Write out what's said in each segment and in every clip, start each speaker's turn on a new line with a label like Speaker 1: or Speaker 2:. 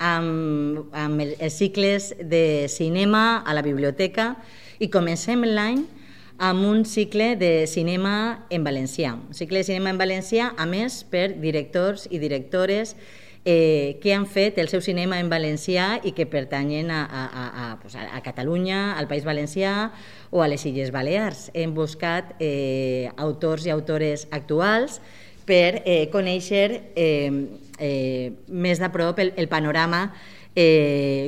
Speaker 1: amb els cicles de cinema a la biblioteca i comencem l'any amb un cicle de cinema en valencià. Un cicle de cinema en valencià, a més, per directors i directores que han fet el seu cinema en valencià i que pertanyen a Catalunya, al País Valencià o a les Illes Balears. Hem buscat autors i autores actuals per conèixer més de prop el panorama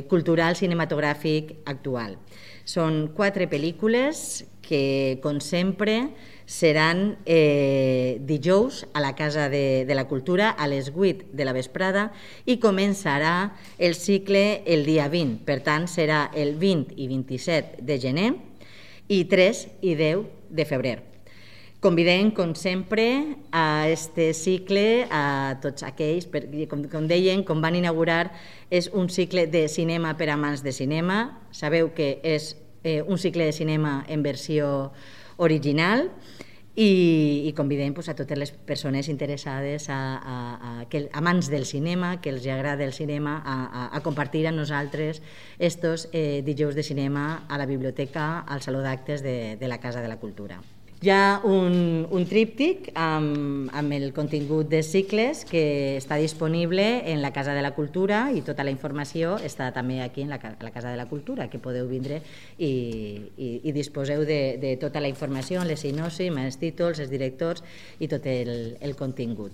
Speaker 1: cultural cinematogràfic actual. Són 4 pel·lícules que, com sempre, seran dijous a la Casa de la Cultura a les 8 de la vesprada i començarà el cicle el dia 20. Per tant, serà el 20 i 27 de gener i 3 i 10 de febrer. Convidem, com sempre, a este cicle a tots aquells, com deien, com van inaugurar, és un cicle de cinema per amants de cinema. Sabeu que és un cicle de cinema en versió original i convidem a totes les persones interessades, amants del cinema, que els agrada el cinema, a compartir amb nosaltres estos dijous de cinema a la biblioteca, al Saló d'Actes de la Casa de la Cultura. Hi ha un tríptic amb el contingut de cicles que està disponible en la Casa de la Cultura i tota la informació està també aquí en la Casa de la Cultura, que podeu vindre i disposeu de tota la informació, les sinopsis, els títols, els directors i tot el contingut.